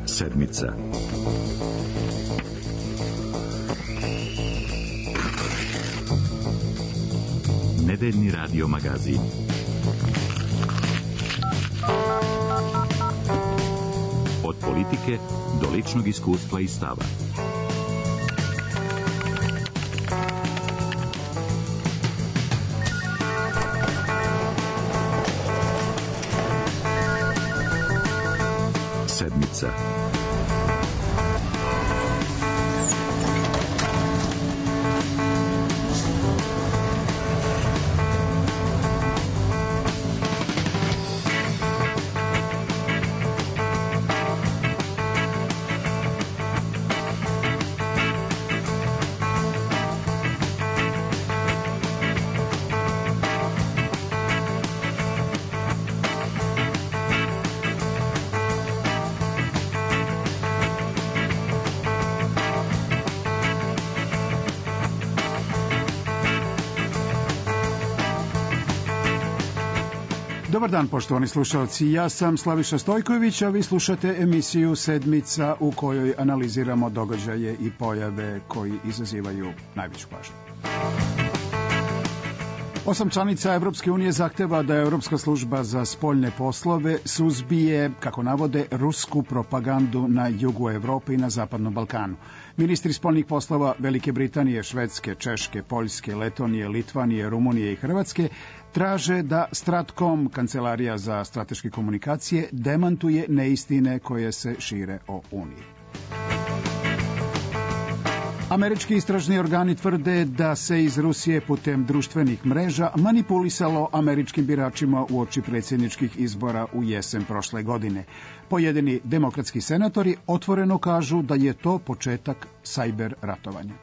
Sedmica. Nedeljni radio magazin. Od politike do ličnog iskustva i stava. Sedmica. Dobar dan, poštovani slušalci. Ja sam Slaviša Stojković, a vi slušate emisiju Sedmica u kojoj analiziramo događaje i pojave koji izazivaju najveću pažnju. 8 članica Evropske unije zahteva da Evropska služba za spoljne poslove suzbije, kako navode, rusku propagandu na jugu Evrope i na Zapadnom Balkanu. Ministri spoljnih poslova Velike Britanije, Švedske, Češke, Poljske, Letonije, Litvanije, Rumunije i Hrvatske traže da Stratcom, Kancelarija za strateške komunikacije, demantuje neistine koje se šire o Uniji. Američki istražni organi tvrde da se iz Rusije putem društvenih mreža manipulisalo američkim biračima uoči predsjedničkih izbora u jesen prošle godine. Pojedini demokratski senatori otvoreno kažu da je to početak sajber ratovanja.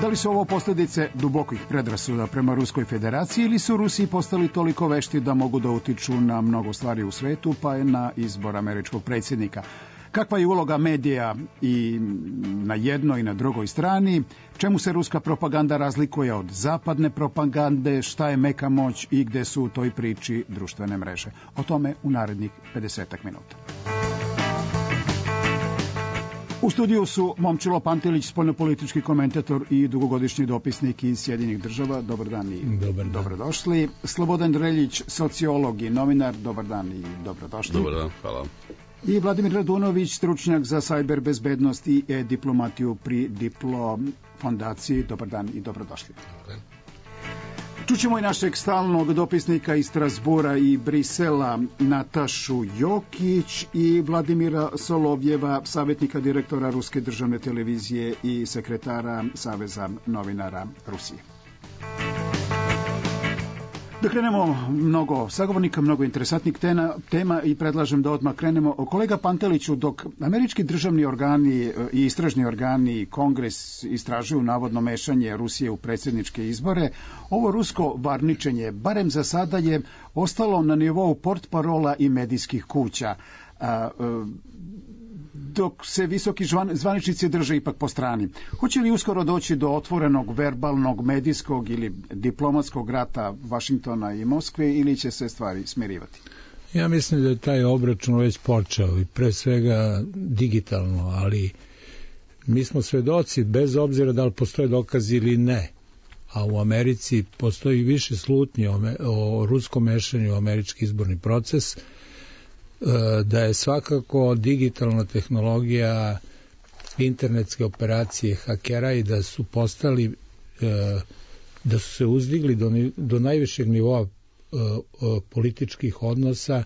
Da li su ovo posljedice dubokih predrasuda prema Ruskoj federaciji ili su Rusi postali toliko vešti da mogu da utiču na mnogo stvari u svetu, pa je na izbor američkog predsjednika? Kakva je uloga medija i na jednoj i na drugoj strani? Čemu se ruska propaganda razlikuje od zapadne propagande? Šta je meka moć i gde su u toj priči društvene mreže? O tome u narednih 50 minuta. U studiju su Momčilo Pantelić, spoljnopolitički komentator i dugogodišnji dopisnik iz Sjedinjenih Država. Dobar dan i dobrodošli. Slobodan Dreljić, sociolog i novinar. Dobar dan i dobrodošli. Dobar dan, hvala. I Vladimir Radunović, stručnjak za sajber bezbednost i e-diplomatiju pri Diplo fondaciji. Dobar dan i dobrodošli. Čućemo i našeg stalnog dopisnika iz Strasbura i Brisela, Natašu Jokić, i Vladimira Solovjeva, savjetnika direktora Ruske državne televizije i sekretara Saveza novinara Rusije. Da krenemo, mnogo sagovornika, mnogo interesantnih tema i predlažem da odmah krenemo. Kolega Panteliću, dok američki državni organi i istražni organi i Kongres istražuju navodno mešanje Rusije u predsjedničke izbore, ovo rusko varničenje, barem za sada, je ostalo na nivou portparola i medijskih kuća, dok se visoki zvaničnici drže ipak po strani. Hoće li uskoro doći do otvorenog verbalnog, medijskog ili diplomatskog rata Vašingtona i Moskve, ili će se stvari smirivati? Ja mislim da je taj obračun već počeo i pre svega digitalno, ali mi smo svedoci, bez obzira da li postoje dokazi ili ne, a u Americi postoji više slutnje o ruskom mešanju u američki izborni proces, da je svakako digitalna tehnologija, internetske operacije hakera i da su postali, da su se uzdigli do najvišeg nivoa političkih odnosa,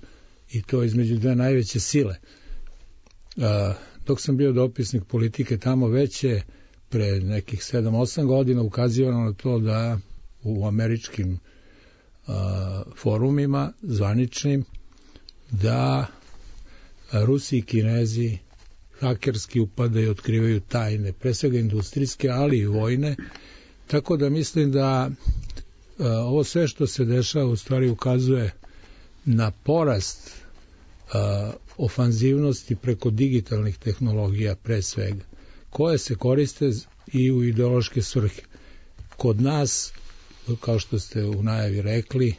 i to između dve najveće sile. Dok sam bio dopisnik politike tamo, već je pre nekih 7-8 godina ukazivano na to da u američkim forumima zvaničnim da Rusi i Kinezi hakerski upadaju i otkrivaju tajne, pre svega industrijske, ali i vojne, tako da mislim da ovo sve što se dešava u stvari ukazuje na porast ofanzivnosti preko digitalnih tehnologija pre svega, koje se koriste i u ideološke svrhe. Kod nas, kao što ste u najavi rekli,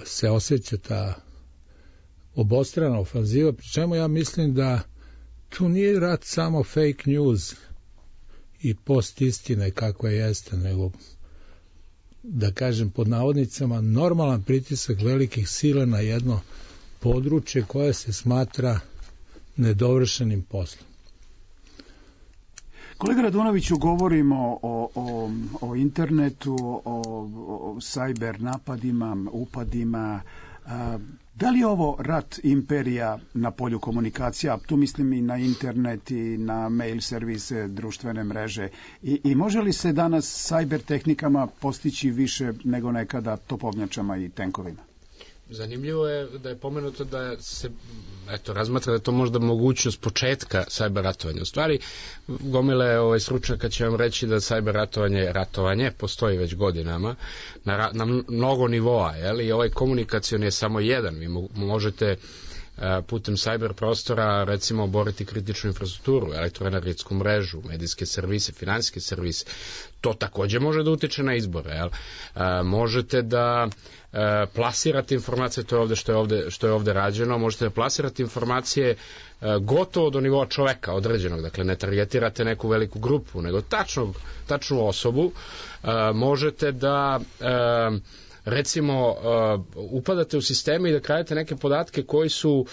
se osjeća ta obostrana ofanziva, pri čemu ja mislim da tu nije rat samo fake news i post istine kakva jeste, nego, da kažem pod navodnicama, normalan pritisak velikih sila na jedno područje koje se smatra nedovršenim poslom. Kolega Radunoviću, govorimo o internetu, o cyber napadima, upadima. Da li je ovo rat imperija na polju komunikacija? Tu mislim i na internet i na mail servise, društvene mreže. I može li se danas cyber tehnikama postići više nego nekada topovnjačama i tenkovima? Zanimljivo je da je pomenuto da se razmatra da je to možda mogućnost početka cyber ratovanja. U stvari, gomile stručnjaka će vam reći da cyber ratovanje postoji već godinama na mnogo nivoa, i ovaj komunikacioni je samo jedan. Vi možete putem cyber prostora recimo boriti kritičnu infrastrukturu, elektroenergetsku mrežu, medijske servise, finansijske servise. To takođe može da utiče na izbore. Možete da plasirate informacije, to je ovde što je ovde rađeno, možete da plasirate informacije gotovo do nivoa čoveka određenog, dakle ne targetirate neku veliku grupu, nego tačnu osobu. Možete da recimo upadate u sisteme i da kradete neke podatke koji su,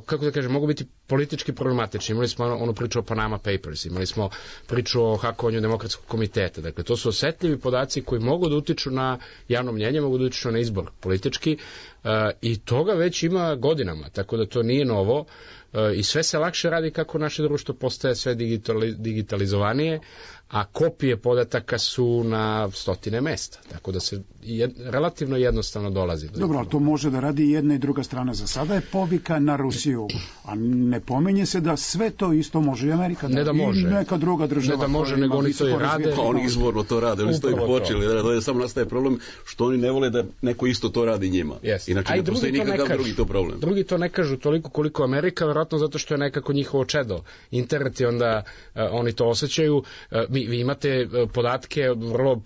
kako da kažem, mogu biti politički problematični. Imali smo onu priču o Panama Papers, imali smo priču o hakovanju Demokratskog komiteta. Dakle, to su osetljivi podaci koji mogu da utiču na javno mnjenje, mogu da utiču na izbor politički i toga već ima godinama, tako da to nije novo i sve se lakše radi kako naše društvo postaje sve digitalizovanije, a kopije podataka su na stotine mesta, tako da se relativno jednostavno dolazi. Dobro, ali to može da radi jedna i druga strana. Za sada je povika na Rusiju, a ne pominje se da sve to isto može i Amerika, ne da može, i neka druga država. Ne da može, nego oni to i rade. Pa oni izvorno to rade, oni su to i počeli. Da samo nastaje problem što oni ne vole da neko isto to radi njima. Inače ne postoji nikakav drugi to problem. Drugi to ne kažu toliko koliko Amerika, verovatno zato što je nekako njihovo čedo. Internet i onda oni to osjećaju. Vi imate podatke vrlo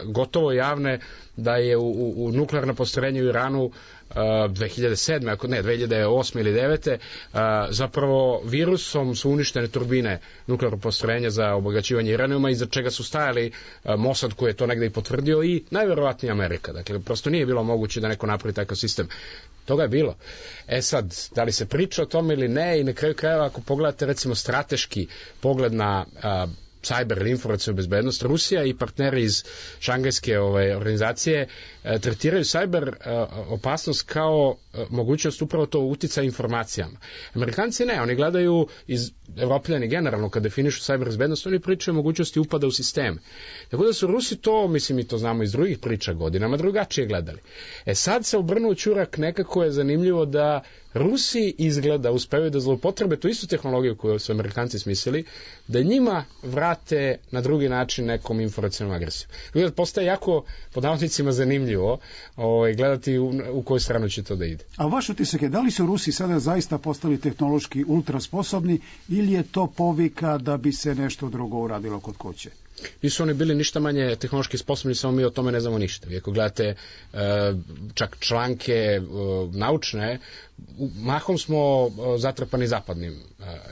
gotovo javne da je u nuklearno postrojenje u Iranu 2007. ako ne, 2008. ili 2009. Zapravo virusom su uništene turbine nuklearnog postrojenja za obogaćivanje uranijuma, iza čega su stajali Mossad koji je to negde i potvrdio i najverovatnije Amerika. Dakle, prosto nije bilo moguće da neko napravi takav sistem. Toga je bilo. Sad, da li se priča o tome ili ne, i na kraju krajeva ako pogledate recimo strateški pogled na cyber ili informacijnu bezbednost, Rusija i partneri iz šangajske organizacije tretiraju cyber opasnost kao mogućnost upravo to uticaja informacijama. Amerikanci ne, oni gledaju iz Evropljani generalno kad definišu cyber bezbednost, oni pričaju o mogućnosti upada u sisteme. Tako da su Rusi to, mislim i to znamo iz drugih priča godinama, drugačije gledali. Sad se obrnuo čurak, nekako je zanimljivo da Rusi izgleda uspevaju da zloupotrebe tu istu tehnologiju koju su Amerikanci smislili, da njima vrate na drugi način nekom informacijnom agresijom. Dakle, postaje jako, pod navodnicima, zanimljivo gledati u koju stranu će to da ide. A vaš utisak je, da li su Rusi sada zaista postali tehnološki ultra sposobni ili je to povika da bi se nešto drugo uradilo kod kuće? Nisu oni bili ništa manje tehnološki sposobni, samo mi o tome ne znamo ništa. Vi ako gledate čak članke naučne, mahom smo zatrpani zapadnim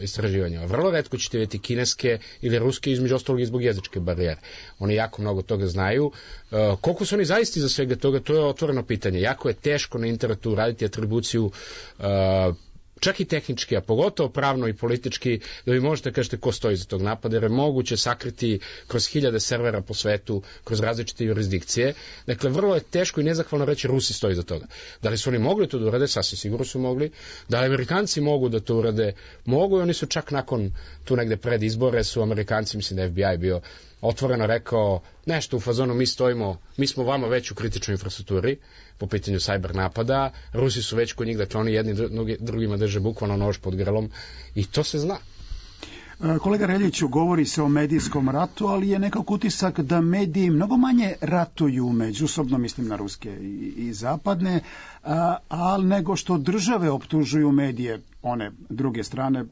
istraživanjima. Vrlo retko ćete vidjeti kineske ili ruske, između ostalog i zbog jezičke barijere. Oni jako mnogo toga znaju. Koliko su oni zaista za svega toga, to je otvoreno pitanje. Jako je teško na internetu raditi atribuciju čak i tehnički, a pogotovo pravno i politički, da vi možete kažete ko stoji za tog napada, jer je moguće sakriti kroz 1000 servera po svetu, kroz različite jurisdikcije. Dakle, vrlo je teško i nezahvalno reći Rusi stoji za toga. Da li su oni mogli to da urade? Sasvim sigurno su mogli. Da li Amerikanci mogu da to urade? Mogu, i oni su čak nakon tu negde pred izbore su Amerikanci, mislim da je FBI bio otvoreno rekao nešto u fazonu mi smo vama već u kritičnoj infrastrukturi po pitanju cyber napada, Rusi su već kod njih, dakle oni jedni drugima drže bukvalno nož pod grlom i to se zna. Kolega Reljiću, govori se o medijskom ratu, ali je nekako utisak da mediji mnogo manje ratuju međusobno, mislim na ruske i zapadne, ali nego što države optužuju medije one druge strane,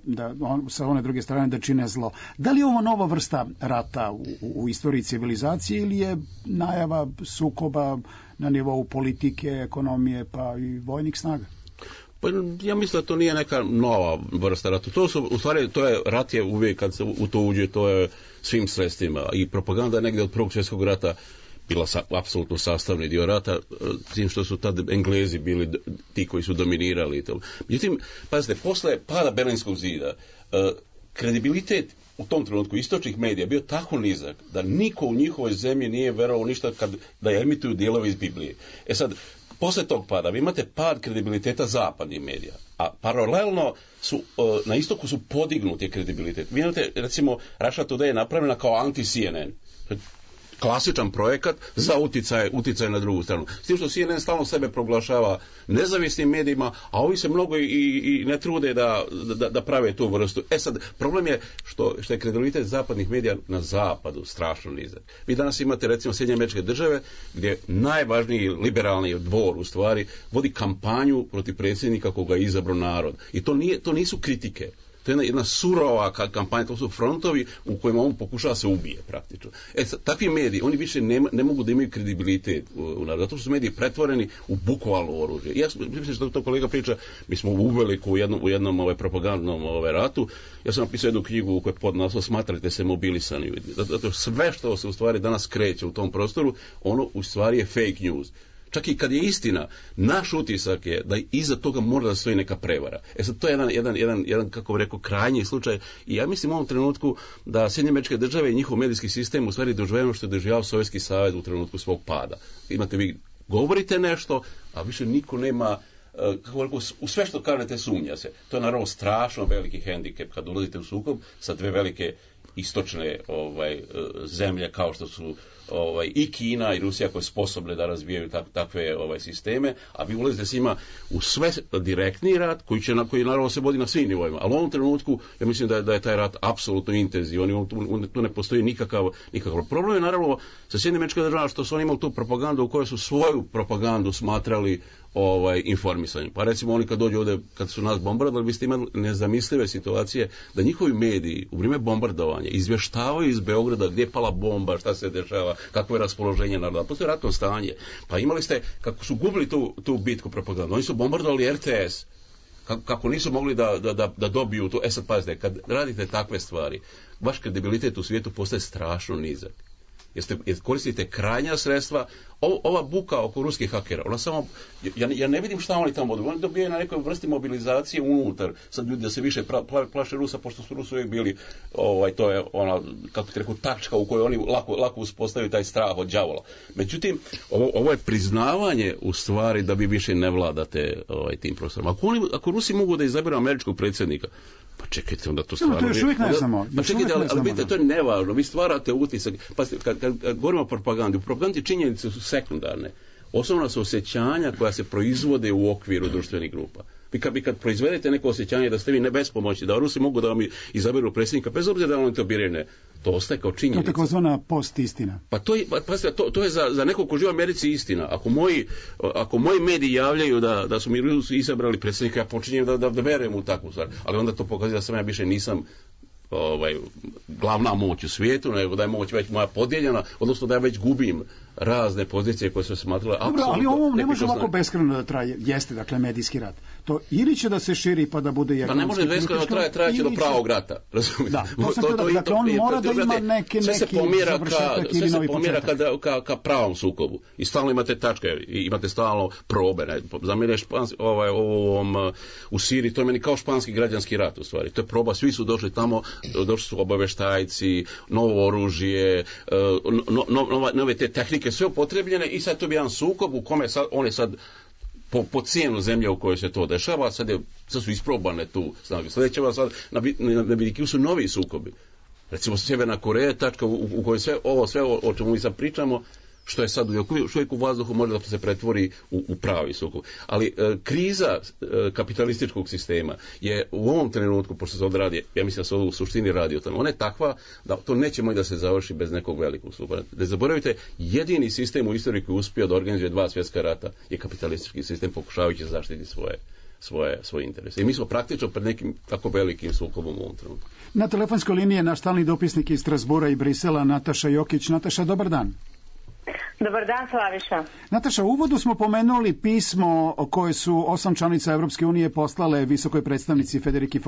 sa one druge strane da čine zlo. Da li je ovo nova vrsta rata u istoriji civilizacije ili je najava sukoba na nivou politike, ekonomije pa i vojnih snaga? Pa ja mislim da to nije neka nova vrsta rata. U stvari, rat je uvijek kad se u to uđe, to je svim sredstvima. I propaganda je negdje od Prvog svjetskog rata bila apsolutno sastavni dio rata, tim što su tad Englezi bili ti koji su dominirali i to. Međutim, pazite, posle pada Berlinskog zida, kredibilitet u tom trenutku istočnih medija bio tako nizak da niko u njihovoj zemlji nije verovao ništa da emituju dijelove iz Biblije. Sad, posle tog pada vi imate pad kredibiliteta zapadnih medija, a paralelno na istoku su podignuti kredibilitet. Vi imate, recimo, Russia Today je napravljena kao anti-CNN. Klasičan projekat za uticaj na drugu stranu. S tim što CNN stalno sebe proglašava nezavisnim medijima, a ovi se mnogo i ne trude da prave tu vrstu. Sad, problem je što je kredibilitet zapadnih medija na zapadu strašno nizak. Vi danas imate, recimo, Sjedinjene Američke Države, gdje najvažniji liberalni dvor, u stvari, vodi kampanju protiv predsjednika koga je izabrao narod. I to nisu kritike. To je jedna surova kampanja, to su frontovi u kojima on pokušava se ubije praktično. Takvi mediji, oni više ne mogu da imaju kredibilitet u narodu, zato što su mediji pretvoreni u bukvalno oružje. Ja mislim što to kolega priča, mi smo uveliko u jednom propagandnom ratu. Ja sam napisao jednu knjigu u kojoj pod naslov Smatrajte se mobilisani. Zato sve što se u stvari danas kreće u tom prostoru, ono u stvari je fake news. Čak i kad je istina, naš utisak je da iza toga mora da stoji neka prevara. Sad, to je jedan kako bih rekao, krajnji slučaj. I ja mislim u ovom trenutku da Sjedinjene Američke Države i njihov medijski sistem u stvari doživljava što je doživljavao Sovjetski savez u trenutku svog pada. Imate, vi govorite nešto, a više niko nema, kako rekao, u sve što kažete sumnja se. To je naravno strašno veliki hendikep kad ulazite u sukob sa dve velike istočne zemlje kao što su i Kina i Rusija koje su sposobne da razvijaju takve sisteme, a vi ulazite s njima u sve direktni rat koji naravno se vodi na svim nivoima. Ali u ovom trenutku ja mislim da je taj rat apsolutno intenzivan, tu ne postoji nikakav problem. Je naravno sa Sjedinjenim Američkim Državama što su oni imali tu propagandu u kojoj su svoju propagandu smatrali informisanjem. Pa recimo oni kad dođu ovdje, kad su nas bombardovali, vi ste imali nezamislive situacije da njihovi mediji u vrijeme bombardovanja izvještavaju iz Beograda gdje je pala bomba, šta se dešava, kakvo je raspoloženje naroda. Postoje ratno stanje. Pa imali ste, kako su gubili tu bitku propagandu, oni su bombardovali RTS, kako nisu mogli da dobiju to. Sad pazite, kad radite takve stvari, vaš kredibilitet u svijetu postaje strašno nizak. Jer koristite krajnja sredstva. Ova buka oko ruskih hakera, ona samo, ja ne vidim šta oni tamo oni dobijaju na nekoj vrsti mobilizacije unutar. Sad ljudi da se više plaše Rusa, pošto su Rusi uvijek bili, to je ona, kako ti rekao, tačka u kojoj oni lako uspostavaju taj strah od đavola. Međutim, ovo je priznavanje u stvari da vi više ne vladate tim prostorom. Ako Rusi mogu da izaberu američkog predsjednika, pa čekajte, onda to stvarno... To još uvijek ne znamo. Pa čekajte, ali vidite, to je nevažno. Vi stvarate utisak. Pa kad govorimo o propagandi, u propagandi činjenice su sekundarne. Osnovna su osjećanja koja se proizvode u okviru društvenih grupa. Vi kad proizvedete neko osjećanje da ste vi bespomoćni, da Rusi mogu da vam izaberu predsjednika, bez obzira da on to birane, to ostaje kao činjenica. To je takozvana post-istina. Pa to je za nekog ko živi u Americi istina. Ako moji mediji javljaju da su mi Rusi izabrali predsjednika, ja počinjem da verujem u takvu stvar. Ali onda to pokazuje da sam ja više nisam glavna moć u svijetu, nego da je moć već moja podijeljena, odnosno da ja već gubim razne pozicije koje su smatrale apsolutno. Ali ovo ne može ovako beskrajno da traje, jeste, dakle, medijski rat. To ili će da se širi pa da bude Pa ne može beskrajno trajaće do pravog rata, razumijete? Dakle, on mora da ima neki završetak ili novi početak. Sve se pomjera ka pravom sukobu. I stalno imate tačke, imate stalno probe. Za mene u Siriji, to je meni kao španski građanski rat u stvari. To je proba, svi su došli tamo, došli su obavještajci, novo oružje, nove te tehnike, sve upotrebljene i sad to bi jedan sukob u kome on je sad po cijenu zemlje u kojoj se to dešava, sad su isprobane tu snage. Sljedeće sad na vidiku su novi sukobi. Recimo Sjeverna Koreja, tačka u kojoj sve o čemu mi sad pričamo, što je sad uvijek u vazduhu može da se pretvori u pravi sukob. Ali kriza kapitalističkog sistema je u ovom trenutku, pošto se odradi, ja mislim da se u suštini radi o tome, ona je takva da to neće moći da se završi bez nekog velikog sukoba. Ne zaboravite, jedini sistem u istoriji koji je uspio da organizuje 2 svjetska rata je kapitalistički sistem pokušavajući zaštiti svoje interese. I mi smo praktično pred nekim tako velikim sukobom u ovom trenutku. Na telefonskoj liniji je naš stalni dopisnik iz Strasbura i Brisela, Nataša Jokić. Nataša, dobar dan. Dobar dan, Slaviša. Nataša, u uvodu smo pomenuli pismo koje su 8 članica Evropske unije poslale visokoj predstavnici Federiki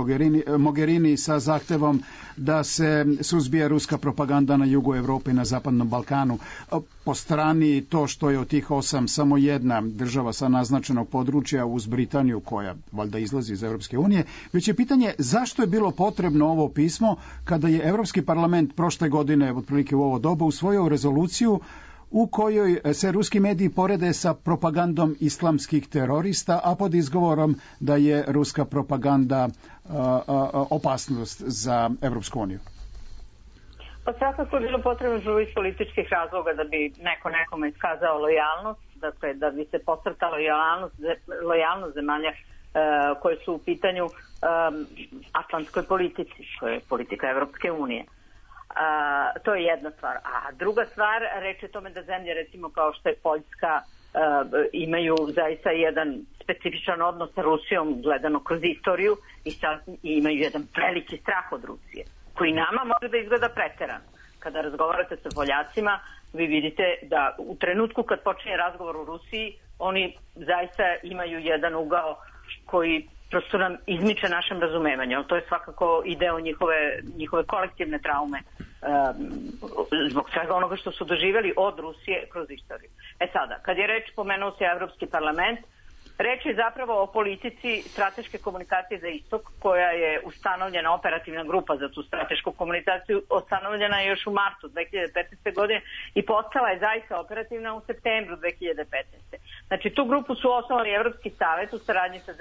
Mogherini sa zahtevom da se suzbije ruska propaganda na jugu Evrope i na Zapadnom Balkanu. Po strani to što je od tih 8 samo jedna država sa naznačenog područja uz Britaniju, koja valjda izlazi iz Evropske unije, već je pitanje zašto je bilo potrebno ovo pismo kada je Evropski parlament prošle godine, otprilike u ovo doba, usvojio rezoluciju u kojoj se ruski mediji porede sa propagandom islamskih terorista, a pod izgovorom da je ruska propaganda opasnost za Evropsku uniju. Pa svakako je bilo potrebno iz političkih razloga da bi neko nekome iskazao lojalnost, dakle da bi se pocrtala lojalnost zemalja koje su u pitanju atlantskoj politici, koja je politika Evropske unije. To je jedna stvar. A druga stvar, reč je tome da zemlje, recimo kao što je Poljska, imaju zaista jedan specifičan odnos sa Rusijom gledano kroz istoriju i imaju jedan veliki strah od Rusije, koji nama može da izgleda preterano. Kada razgovarate sa Poljacima, vi vidite da u trenutku kad počinje razgovor o Rusiji, oni zaista imaju jedan ugao koji prosto nam izmiče našem razumevanju. To je svakako i deo njihove kolektivne traume zbog svega onoga što su doživjeli od Rusije kroz istoriju. Sada, kad je reč, pomenuo se Evropski parlament, reč je zapravo o politici strateške komunikacije za istok, koja je ustanovljena, operativna grupa za tu stratešku komunikaciju, ustanovljena je još u martu 2015. godine i postala je zaista operativna u septembru 2015. Znači, tu grupu su osnovali Evropski savet u saradnji sa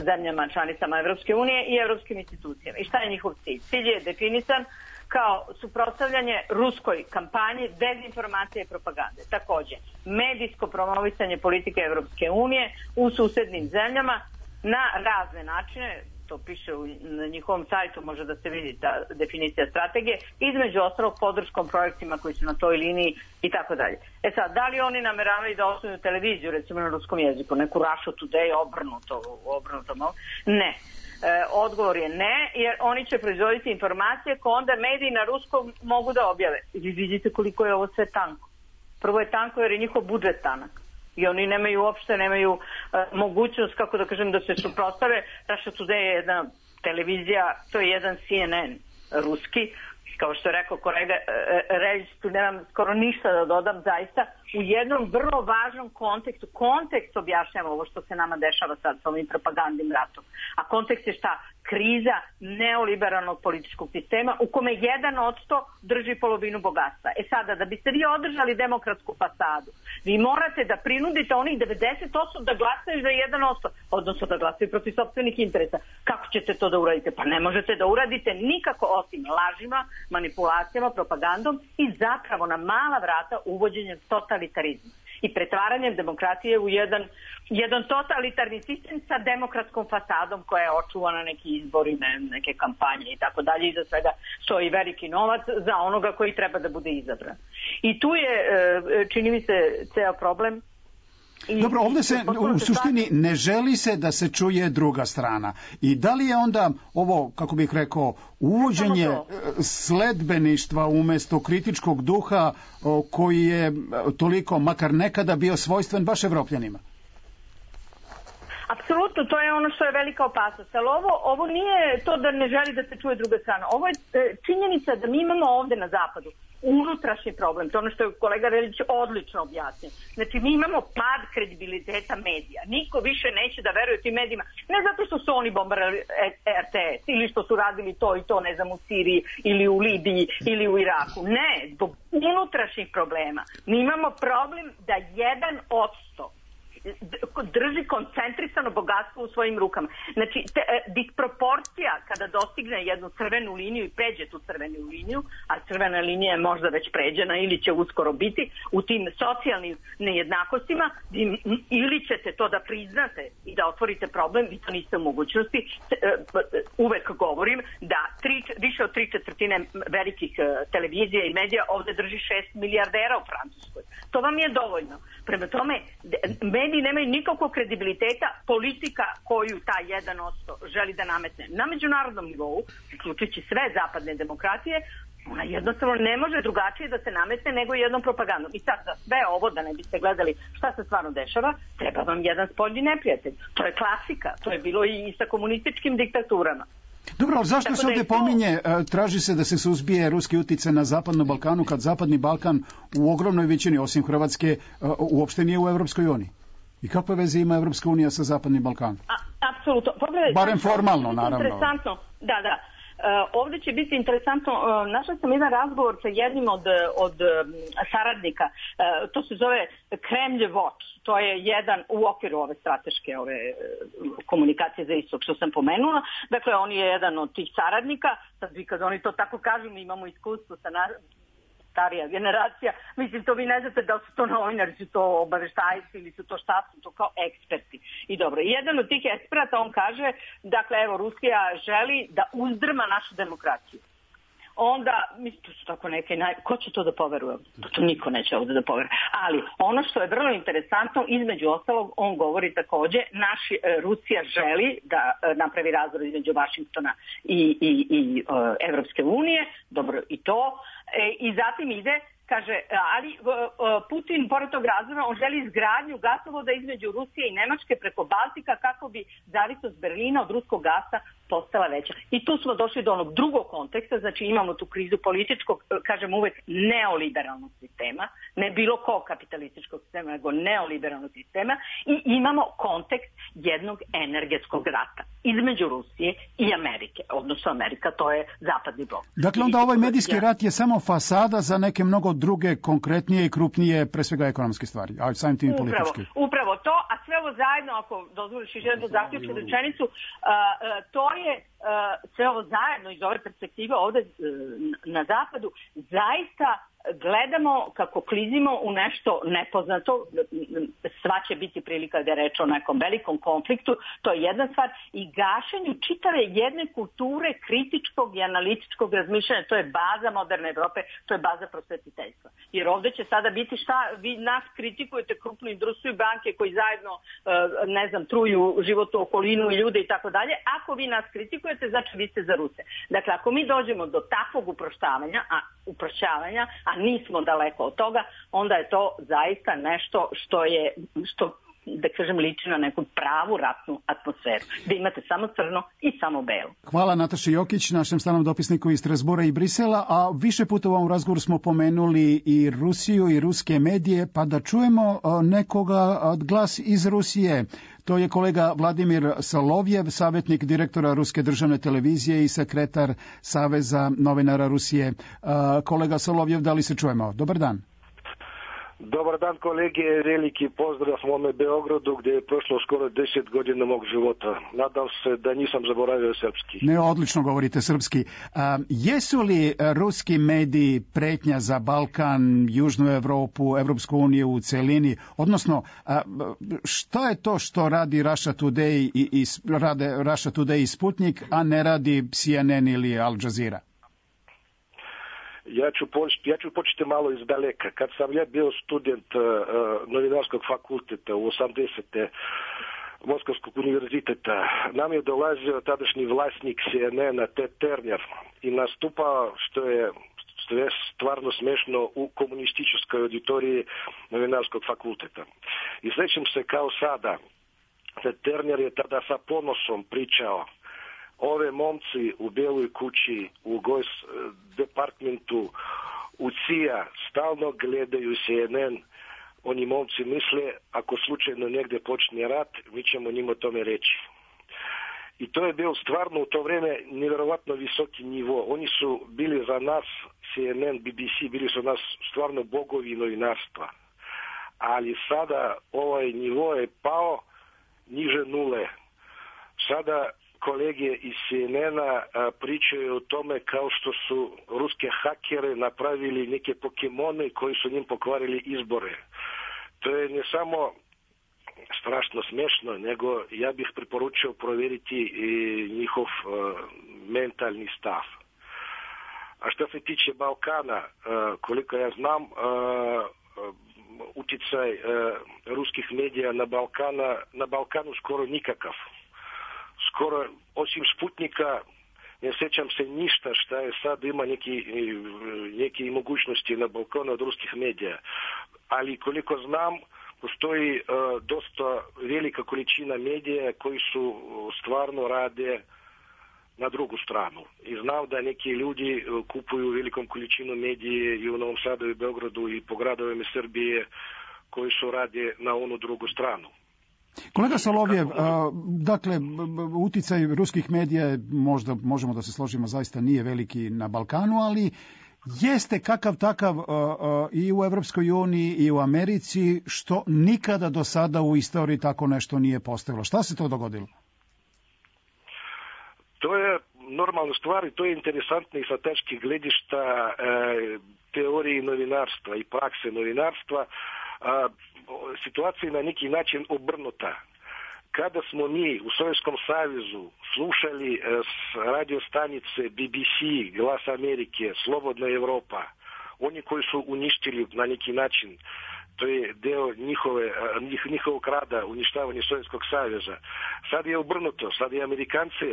zemljama članicama Evropske unije i evropskim institucijama. I šta je njihov cilj? Cilj je definisan kao suprotstavljanje ruskoj kampanji, dezinformacije i propagande. Takođe, medijsko promovisanje politike Evropske unije u susednim zemljama na razne načine, to piše na njihovom sajtu, može da se vidi ta definicija strategije, između ostalog podrškom projektima koji su na toj liniji i tako dalje. Sad, da li oni nameravaju da osnuju televiziju, recimo na ruskom jeziku, neku Russia Today, obrnuto? Ne. Odgovor je ne, jer oni će proizvoditi informacije koje onda mediji na ruskom mogu da objave. I vi vidite koliko je ovo sve tanko. Prvo je tanko jer je njihov budžet tanak. I oni uopšte nemaju mogućnost, kako da kažem, da se suprotstave. Russia Today je jedna televizija, to je jedan CNN ruski, kao što je rekao kolega Reljić, tu nemam skoro ništa da dodam, zaista u jednom vrlo važnom kontekstu. Kontekst objašnjava ovo što se nama dešava sad sa ovim propagandnim ratom. A kontekst je šta? Kriza neoliberalnog političkog sistema u kome 1% drži polovinu bogatstva. Sada, da biste vi održali demokratsku fasadu, vi morate da prinudite onih 90% da glasaju za 1%, odnosno da glasaju protiv sopstvenih interesa. Kako ćete to da uradite? Pa ne možete da uradite nikako osim lažima, manipulacijama, propagandom i zapravo na mala vrata uvođenjem totalitarizma i pretvaranjem demokratije u jedan totalitarni sistem sa demokratskom fasadom koja je očuvana neki izbori, neke kampanje i tako dalje. Iza svega stoji veliki novac za onoga koji treba da bude izabran. I tu je, čini mi se, ceo problem. Dobro, ovdje se u suštini ne želi se da se čuje druga strana. I da li je onda ovo, kako bih rekao, uvođenje sledbeništva umjesto kritičkog duha koji je toliko, makar nekada, bio svojstven baš Evropljanima? Apsolutno, to je ono što je velika opasnost. Ali ovo nije to da ne želi da se čuje druga strana. Ovo je činjenica da mi imamo ovdje na zapadu unutrašnji problem. To je ono što je kolega Reljić odlično objasnio. Znači, mi imamo pad kredibiliteta medija. Niko više neće da veruje tim medijima. Ne zato što su oni bombardirali RTS ili što su radili to i to, ne znam, u Siriji ili u Libiji ili u Iraku. Ne, zbog unutrašnjih problema. Mi imamo problem da 1% drži koncentrisano bogatstvo u svojim rukama. Znači, disproporcija kada dostigne jednu crvenu liniju i pređe tu crvenu liniju, a crvena linija je možda već pređena ili će uskoro biti, u tim socijalnim nejednakostima, ili ćete to da priznate i da otvorite problem, vi to niste u mogućnosti. Uvek govorim da više od 3/4 velikih televizija i medija ovde drži 6 milijardera u Francuskoj. To vam je dovoljno. Prema tome, mediji nemaju nikakvog kredibiliteta, politika koju taj 1% želi da nametne na međunarodnom nivou, uključujući sve zapadne demokratije, Ona jednostavno ne može drugačije da se nametne nego jednom propagandom. I sad za sve ovo, da ne biste gledali šta se stvarno dešava, treba vam jedan spoljni neprijatelj. To je klasika, to je bilo i sa komunističkim diktaturama. Dobro, ali zašto se ovdje pominje, traži se da se suzbije ruski uticaj na Zapadnom Balkanu, kad Zapadni Balkan u ogromnoj većini, osim Hrvatske, uopšte nije u Evropskoj uniji? I kakve veze ima Evropska unija sa Zapadnim Balkanom? Apsolutno. Barem formalno, naravno. Interesantno, da. Ovdje će biti interesantno, našla sam jedan razgovor sa jednim od saradnika, to se zove Kremlj Watch, to je jedan u okviru ove strateške komunikacije za istok što sam pomenula, dakle on je jedan od tih saradnika, sad vi kad oni to tako kažu, mi imamo iskustvo sa starija generacija, mislim to vi ne znate da su to novinari, su to obaveštajci ili su to šta su to kao eksperti. I dobro, jedan od tih eksperata on kaže, dakle evo Rusija želi da uzdrma našu demokraciju. Onda, mislim, to su tako neke, ko će to da poveruje? To niko neće ovdje da poveruje. Ali ono što je vrlo interesantno, između ostalog, on govori takođe, Rusija želi da napravi razvoj između Vašingtona i Evropske unije, dobro i to, i zatim ide, kaže, ali Putin, pored tog razvoja, on želi izgradnju gasovoda između Rusije i Nemačke preko Baltika kako bi zavisnost Berlina od ruskog gasa postala veća. I tu smo došli do onog drugog konteksta, znači imamo tu krizu političkog, kažem uvek, neoliberalnog sistema, ne bilo kog kapitalističkog sistema, nego neoliberalnog sistema, i imamo kontekst jednog energetskog rata između Rusije i Amerike, odnosno Amerika, to je zapadni blok. Dakle, onda ovaj medijski rat je samo fasada za neke mnogo druge, konkretnije i krupnije, pre svega ekonomske stvari, a samim tim i politički. Upravo to, a sve ovo zajedno, ako dozvoliš još jednu zaključnu rečenicu, to je sve ovo zajedno iz ove perspektive ovde na zapadu, zaista gledamo kako klizimo u nešto nepoznato, sva će biti prilika da je reč o nekom velikom konfliktu, to je jedna stvar, i gašenju čitave jedne kulture kritičkog i analitičkog razmišljanja, to je baza moderne Evrope, to je baza prosvetiteljstva. Jer ovdje će sada biti šta, vi nas kritikujete, krupnu industriju, banke koji zajedno, ne znam, truju životnu okolinu i ljude i tako dalje, ako vi nas kritikujete, znači vi ste za Ruse. Dakle, ako mi dođemo do takvog uprošćavanja, a nismo daleko od toga, onda je to zaista nešto što da kažem, liči na neku pravu ratnu atmosferu. Da imate samo crno i samo belo. Hvala Nataši Jokić, našem stalnom dopisniku iz Strasbura i Brisela, a više puta u ovom razgovoru smo pomenuli i Rusiju i ruske medije, pa da čujemo nekoga glas iz Rusije. To je kolega Vladimir Solovjev, savjetnik direktora Ruske državne televizije i sekretar Saveza novinara Rusije. Kolega Solovjev, da li se čujemo? Dobar dan. Dobar dan kolege, veliki pozdrav mome Beogradu gdje je prošlo skoro 10 godina mog života. Nadam se da nisam zaboravio srpski. Ne, odlično govorite srpski. Jesu li ruski mediji pretnja za Balkan, Južnu Evropu, Evropsku uniju u celini? Odnosno, šta je to što radi Russia Today rade Russia Today i Sputnik, a ne radi CNN ili Al Jazeera? Ja ću početi malo iz daleka. Kad sam ja bio student novinarskog fakulteta u 80. Moskovskog univerziteta, nam je dolazio tadašnji vlasnik CNN-a Ted Turner i nastupao, što je stvarno smešno, u komunističkoj auditoriji novinarskog fakulteta. I sjećam se kao sada, Ted Turner je tada sa ponosom pričao: ove momci u Beloj kući, u departmentu, u CIA stalno gledaju CNN. Oni momci misle, ako slučajno negdje počne rat, mi ćemo njima tome reći. I to je bio stvarno u to vrijeme nevjerovatno visoki nivo. Oni su bili za nas, CNN, BBC, bili su nas stvarno bogovi novinarstva. Ali sada ovaj nivo je pao niže nule. Sada kolege iz CNN-a pričaju o tome kao što su ruske hakere napravili neke pokemone koji su njim pokvarili izbore. To je ne samo strašno smešno, nego ja bih preporučio provjeriti i njihov mentalni stav. A što se tiče Balkana, koliko ja znam, utjecaj ruskih medija na Balkanu skoro nikakav. Skoro, osim Sputnika, ne sjećam se ništa šta je sad ima neke mogućnosti na Balkanu od ruskih medija. Ali koliko znam, postoji dosta velika količina medija koji su stvarno rade na drugu stranu. I znam da neki ljudi kupuju velikom količinu medije i u Novom Sadu i Beogradu i po gradovima Srbije koji su rade na onu drugu stranu. Kolega Solovjev, dakle, uticaj ruskih medija, možda možemo da se složimo, zaista nije veliki na Balkanu, ali jeste kakav takav i u Evropskoj uniji i u Americi, što nikada do sada u istoriji tako nešto nije postavilo. Šta se to dogodilo? To je normalna stvar i to je interesantno i sa tačke gledišta teorije novinarstva i prakse novinarstva. Situacija je na neki način obrnuta. Kada smo mi u Sovjetskom savezu slušali radio stanice BBC, Glas Amerike, Slobodna Evropa, oni koji su uništili na neki način, to je deo njihovog rada, uništavanje Sovjetskog saveza. Sad je obrnuto, sad i Amerikanci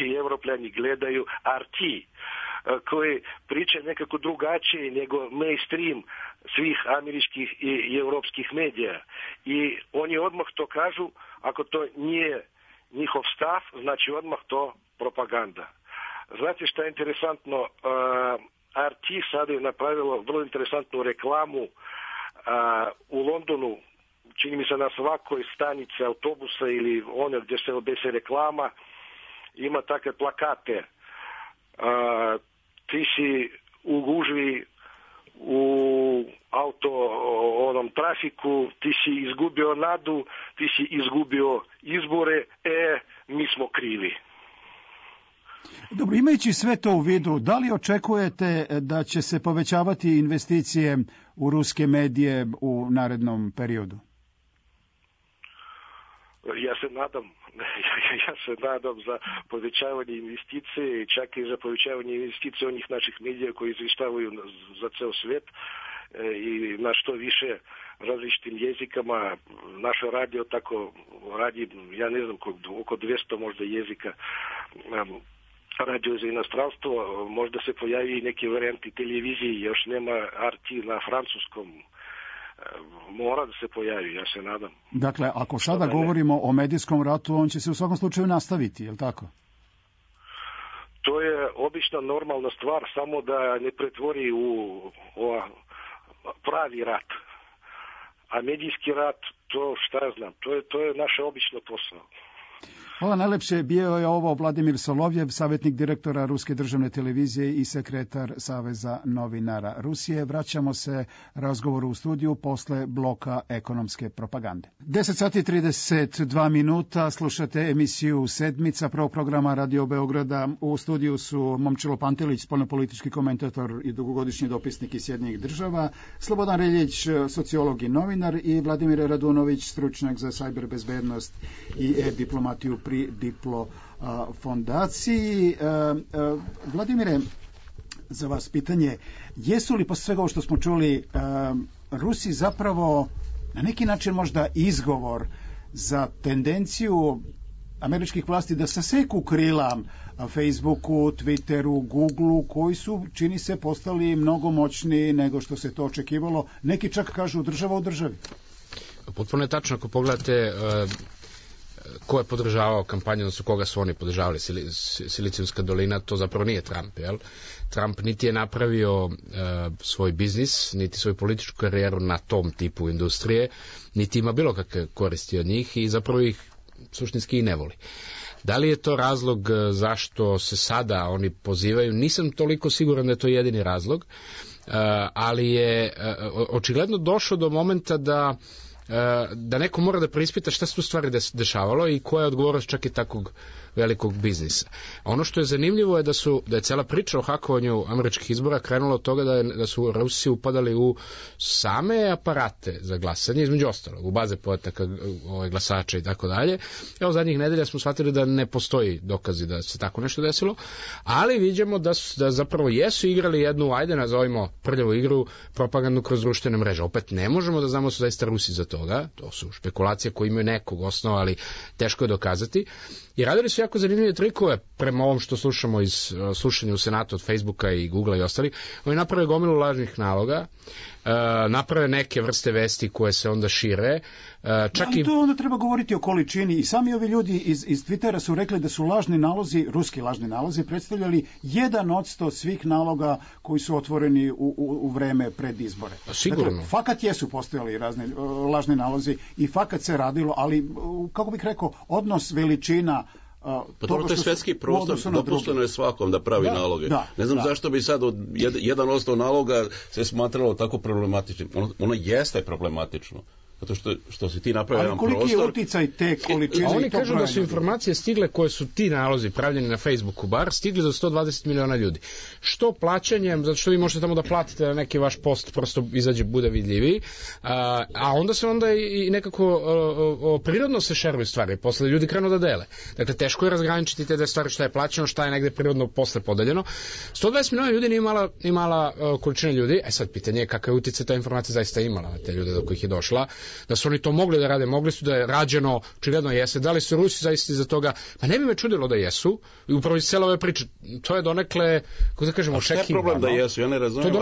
i Evropljani gledaju RT, koji priča nekako drugačije nego mainstream svih američkih i evropskih medija. I oni odmah to kažu, ako to nije njihov stav, znači odmah to propaganda. Znate što je interesantno? RT sad je napravilo vrlo interesantnu reklamu u Londonu, čini mi se na svakoj stanici autobusa ili one gdje se obese reklama, ima takve plakate. Ti si u gužvi u onom trafiku, ti si izgubio nadu, ti si izgubio izbore, mi smo krivi. Dobro, imajući sve to u vidu, da li očekujete da će se povećavati investicije u ruske medije u narednom periodu? Ja se nadam za povećavanje investicije, čak i za povećavanje investicije onih naših medija koji izvještavaju za ceo svijet i na što više različitim jezikama. Naše radio tako radi, ja ne znam, oko 200 možda jezika. Radio za inostranstvo, možda se pojavi i neke varijanti televizije, još nema RT na francuskom. Mora da se pojavi, ja se nadam. Dakle, ako sada govorimo o medijskom ratu, on će se u svakom slučaju nastaviti, je li tako? To je obična normalna stvar, samo da ne pretvori u pravi rat. A medijski rat, to šta ja znam, to je naše obično posao. Hvala najlepše. Bio je ovo Vladimir Solovjev, savjetnik direktora Ruske državne televizije i sekretar Saveza novinara Rusije. Vraćamo se razgovoru u studiju posle bloka ekonomske propagande. 10:32, slušate emisiju Sedmica prvog programa Radio Beograda. U studiju su Momčilo Pantelić, spoljnopolitički komentator i dugogodišnji dopisnik iz Sjedinjenih Država, Slobodan Reljić, sociolog i novinar, i Vladimir Radunović, stručnjak za sajber bezbednost i diplomatiju pri Diplo fondaciji. Vladimire, za vas pitanje, jesu li posle svega ovo što smo čuli Rusi zapravo na neki način možda izgovor za tendenciju američkih vlasti da saseku krila Facebooku, Twitteru, Googleu, koji su, čini se, postali mnogo moćniji nego što se to očekivalo, neki čak kažu država u državi? Potpuno je tačno, ako pogledate ko je podržavao kampanju, odnosno koga su oni podržavali, Silicijumska dolina, to zapravo nije Trump, jel? Trump niti je napravio svoj biznis, niti svoju političku karijeru na tom tipu industrije, niti ima bilo kakve koristi od njih i zapravo ih suštinski i ne voli. Da li je to razlog zašto se sada oni pozivaju? Nisam toliko siguran da je to jedini razlog, ali je očigledno došlo do momenta da neko mora da preispita šta se tu stvari dešavalo i koja je odgovornost čak i takvog velikog biznisa. Ono što je zanimljivo je da je cela priča o hakovanju američkih izbora krenula od toga da su Rusi upadali u same aparate za glasanje, između ostalog, u baze podataka glasača i tako dalje. Evo, zadnjih nedelja smo shvatili da ne postoji dokazi da se tako nešto desilo, ali vidimo da zapravo jesu igrali jednu, ajde nazovimo prljavu igru, propagandu kroz društvene mreže. Opet ne možemo da znamo da su zaista Rusi za to toga, to su špekulacije koje imaju nekog osnova, ali teško je dokazati, i radili su jako zanimljive trikove prema ovom što slušamo iz slušanja u Senatu od Facebooka i Googlea i ostali. Oni naprave gomilu lažnih naloga, naprave neke vrste vesti koje se onda šire. I to onda treba govoriti o količini, i sami ovi ljudi iz Twittera su rekli da su lažni nalozi, ruski lažni nalozi, predstavljali 1% svih naloga koji su otvoreni u vreme pred izbore. Sigurno. Dakle, fakat jesu postojali razni lažni nalozi i fakat se radilo, ali, kako bih rekao, odnos veličina Pa dobro, to je svetski prostor, dopušteno je svakom da pravi naloge. Ne znam zašto bi sad od 1% naloga se smatralo tako problematičnim. Ono jeste problematično. Zato što si ti napravio jedan prostor... Ali koliki je uticaj te količine? Oni kažu da su informacije stigle koje su ti nalozi pravljeni na Facebooku bar, stigli do 120 miliona ljudi. Što plaćanjem, zato što vi možete tamo da platite da neki vaš post prosto izađe, bude vidljiviji, a onda se i nekako prirodno se šeruju stvari, posle ljudi krenu da dele. Dakle, teško je razgraničiti te stvari, šta je plaćeno, šta je negde prirodno posle podeljeno. 120 miliona ljudi nije mala količina ljudi, sad pitanje je kakav uticaj ta informacija zaista imala na te ljude do kojih je došla. Da su oni to mogli da rade, mogli su da je rađeno, očigledno jeste, da li su Rusi zaista iza toga, pa ne bi me čudilo da jesu, i upravo iz cele ove priče, to je donekle, kako da kažemo, očekivano. Šta je problem da jesu, ja ne razumijem,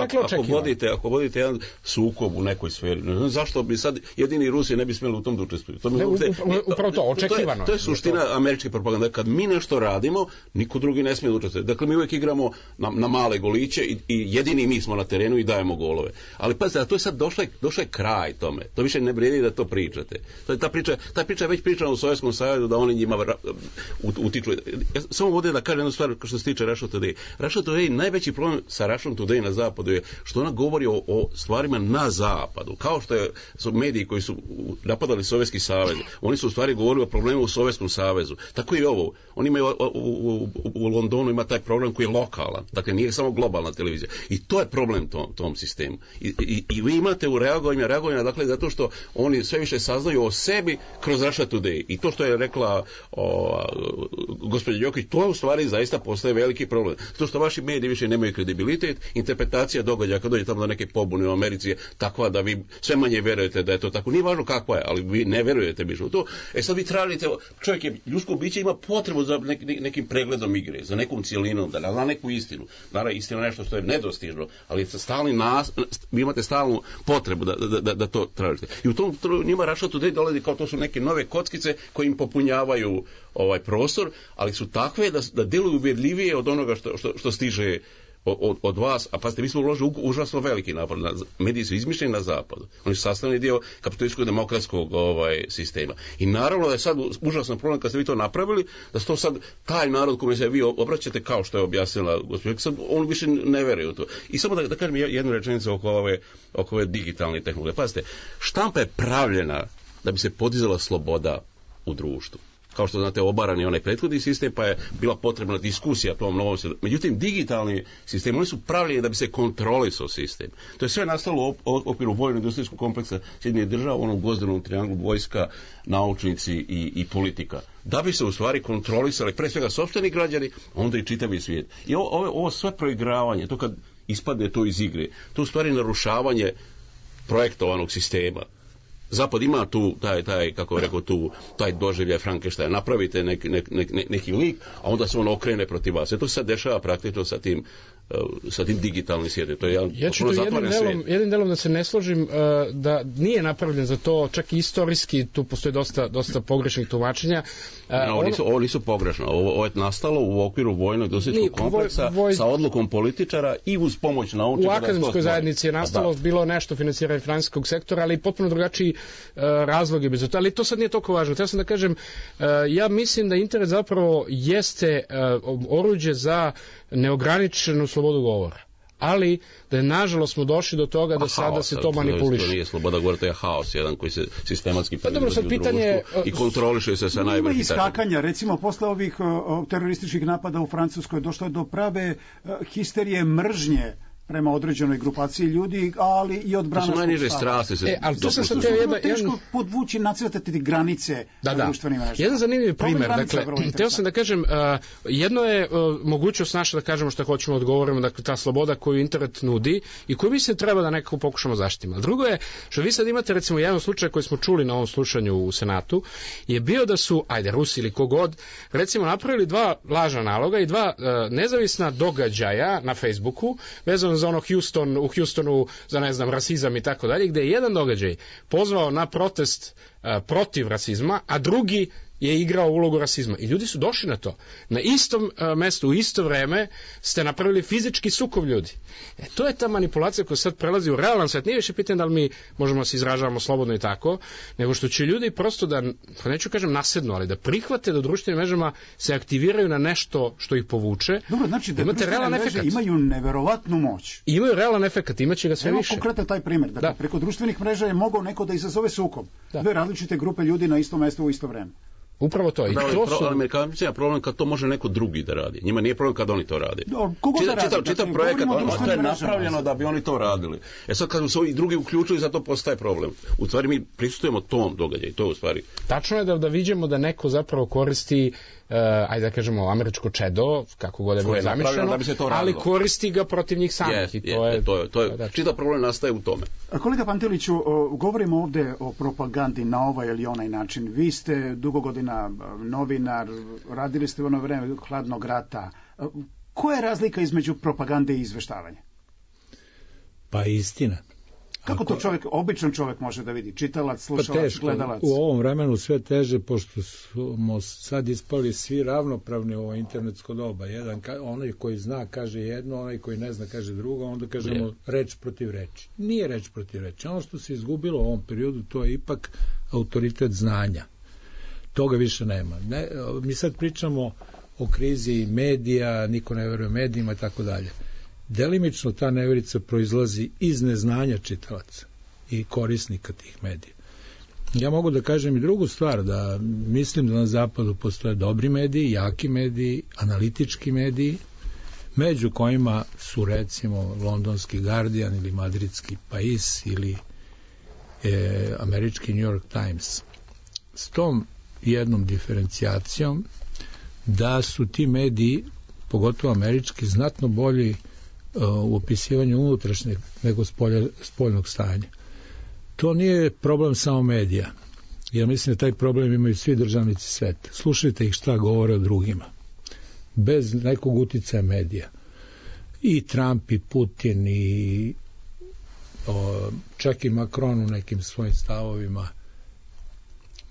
ako vodite jedan sukob u nekoj sferi, ne znam zašto bi sad jedini Rusi ne bi smjeli u tom da učestvuju. Upravo to, očekivano. To je suština američke propagande, kad mi nešto radimo, niko drugi ne smije da učestvuje. Dakle, mi uvijek igramo na male goliće i jedini mi smo na terenu i dajemo golove. Ali pazite, to je sad došao je kraj tome. To više ne vrijedi da to pričate. Ta priča je već pričana u Sovjetskom savezu da oni njima utiču. Ja samo ovdje da kažem jednu stvar što se tiče Russia Today. Russia Today, najveći problem sa Russia Today na zapadu je što ona govori o stvarima na zapadu. Kao što su mediji koji su napadali Sovjetski savez. Oni su u stvari govorili o problemu u Sovjetskom savezu. Tako i ovo. Oni imaju u Londonu ima taj problem koji je lokalan. Dakle, nije samo globalna televizija. I to je problem tom sistemu. I vi imate u reagovanju, dakle, zato što oni sve više saznaju o sebi kroz Russia Today. I to što je rekla gospođa Jokić, to u stvari zaista postaje veliki problem. To što vaši mediji više nemaju kredibilitet, interpretacija događaja kad dođe tamo do neke pobune u Americi je takva da vi sve manje verujete da je to tako. Nije važno kakva je, ali vi ne verujete više u to. Sad vi tražite, čovjek je, ljudsko biće ima potrebu za nekim pregledom igre, za nekom cijelinom, da zna neku istinu. Naravno, istina je nešto što je nedostižno, ali vi imate stalnu potrebu da to tražite. I u tom njima Russia Today dolazi kao to su neke nove kockice koji im popunjavaju ovaj prostor, ali su takve da deluju uvjerljivije od onoga što stiže od vas, a pazite, mi smo uložili užasno veliki napor. Mediji su izmišljeni na zapadu. Oni su sastavni dio kapitalističkog demokratskog sistema. I naravno da je sad užasan problem kad ste vi to napravili, da to sad taj narod kome se vi obraćate, kao što je objasnila gospođa, sad on više ne veruje u to. I samo da kažem jednu rečenicu oko ove digitalne tehnologije. Pazite, štampa je pravljena da bi se podizala sloboda u društvu. Kao što znate, obaran je onaj prethodni sistem, pa je bila potrebna diskusija tom novom sistemu. Međutim, digitalni sistem, oni su pravljeni da bi se kontrolisao sistem. To je sve nastalo u okviru vojno-industrijskog kompleksa Sjedinjenih Država, onom gvozdenom trianglu vojska, naučnici i politika. Da bi se u stvari kontrolisali pre svega sopstveni građani, onda i čitavi svijet. I ovo sve proigravanje, to kad ispadne to iz igre, to u stvari narušavanje projektovanog sistema. Zapad ima tu taj doživljaj Frankensteina. Napravite neki lik, a onda se on okrene protiv vas. To se sad dešava praktično sa tim digitalnim svijetom. To je ja ću to jednim delom da se ne složim, da nije napravljen za to, čak i istorijski tu postoji dosta pogrešnih tumačenja. Ovo nisu pogrešno. Ovo je nastalo u okviru vojno-industrijskog kompleksa sa odlukom političara i uz pomoć naučnika. U akademskoj zajednici je nastalo bilo nešto financiranje financijskog sektora, ali potpuno drugačiji razlog je bez toga. Ali to sad nije toliko važno. Htio sam da kažem, ja mislim da internet zapravo jeste oruđe za neograničenu slobodu govora. Ali da je nažalost smo došli do toga da sada se to manipuliše. To nije sloboda govora, to je haos jedan koji se sistematski proizvodi u društvu i kontroliše se sa najvećim. Ima iskakanja, recimo posle ovih terorističkih napada u Francuskoj došlo je do prave histerije mržnje prema određenoj grupaciji ljudi, ali i od branaškog stava. To su najniže strasti. Ali to sam sad teško podvući, nacrtati granice društvenim mrežama. Jedan zanimljiv primer, dakle, teo sam da kažem, jedno je mogućnost naša da kažemo što hoćemo odgovorimo, dakle, ta sloboda koju internet nudi i koju mislim treba da nekako pokušamo zaštititi. A drugo je, što vi sad imate, recimo, jedan slučaj koji smo čuli na ovom slušanju u Senatu, je bio da su, Rusi ili kogod, recimo, napravili 2 lažna naloga i 2 nezavisna događaja na Facebooku, vezano za ono u Houstonu, za, ne znam, rasizam i tako dalje, gde je jedan događaj pozvao na protest protiv rasizma, a drugi je igrao ulogu rasizma. I ljudi su došli na to. Na istom mestu, u isto vreme ste napravili fizički sukob ljudi. To je ta manipulacija koja sad prelazi u realan svet. Nije više pitanje da li mi možemo se izražavamo slobodno i tako, nego što će ljudi prosto da, pa neću kažem nasednu, ali da prihvate da u društvenim mrežama se aktiviraju na nešto što ih povuče. Dobro, znači da društvene mreže imaju neverovatnu moć. Imaju realan efekat, imaće ga sve više. Konkretno taj primjer. Dakle, preko društvenih mreža je mogao neko da izazove sukob. 2 različite grupe ljudi na istom mestu u isto vreme. Upravo to. Amerikanci problem kad to može neko drugi da radi. Njima nije problem kad oni to rade. Čitav projekat, to je napravljeno da bi oni to radili. Sad kad su i drugi uključili, zato postaje problem. U stvari mi prisustujemo tom događaju, to je u stvari. Tačno je da vidimo da neko zapravo koristi ajde da kažemo američko čedo, kako god je bilo zamišljeno, ali koristi ga protiv njih samih. Čitav problem nastaje u tome. Kolega Panteliću, govorimo ovde o propagandi na ovaj ili onaj način. Vi ste dugo godina novinar, radili ste u ono vreme hladnog rata. Koja je razlika između propagande i izveštavanja? Pa istina. Kako to običan čovjek može da vidi? Čitalac, slušalac, gledalac? U ovom vremenu sve teže, pošto smo sad ispali svi ravnopravni u ovo internetsko doba. Onaj koji zna kaže jedno, onaj koji ne zna kaže drugo, onda kažemo reč protiv reči. Nije reč protiv reči. Ono što se izgubilo u ovom periodu, to je ipak autoritet znanja. Toga više nema. Mi sad pričamo o krizi medija, niko ne veruje medijima i tako dalje. Delimično ta neverica proizlazi iz neznanja čitalaca i korisnika tih medija. Ja mogu da kažem i drugu stvar, da mislim da na zapadu postoje dobri mediji, jaki mediji, analitički mediji, među kojima su recimo londonski Guardian ili madridski Pais ili američki New York Times. S tom jednom diferencijacijom da su ti mediji, pogotovo američki, znatno bolji u opisivanju unutrašnjeg nego spoljnog stanja. To nije problem samo medija. Ja mislim da taj problem imaju svi državnici sveta. Slušajte ih šta govore o drugima. Bez nekog uticaja medija. I Trump, i Putin, i čak i Macron u nekim svojim stavovima.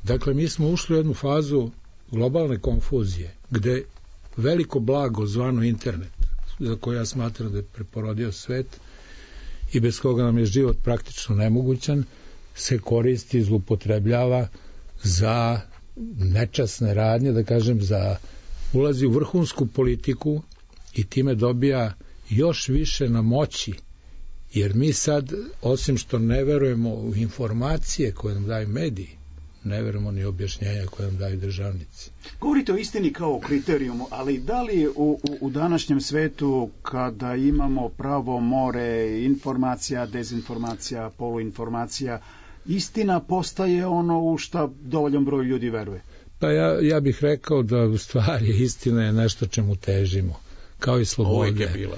Dakle, mi smo ušli u jednu fazu globalne konfuzije, gde veliko blago zvano internet, za koje ja smatram da je preporodio svet i bez koga nam je život praktično nemogućan, se koristi, zloupotrebljava za nečasne radnje, da kažem, ulazi u vrhunsku politiku i time dobija još više na moći, jer mi sad, osim što ne verujemo u informacije koje nam daju mediji, ne verujemo ni objašnjenja koje nam daju državnici. Govorite o istini kao kriterijumu, ali da li u današnjem svetu, kada imamo pravo more informacija, dezinformacija, poluinformacija, istina postaje ono u šta dovoljan broj ljudi veruje? Pa ja bih rekao da u stvari istina je nešto čemu težimo, kao i slobode.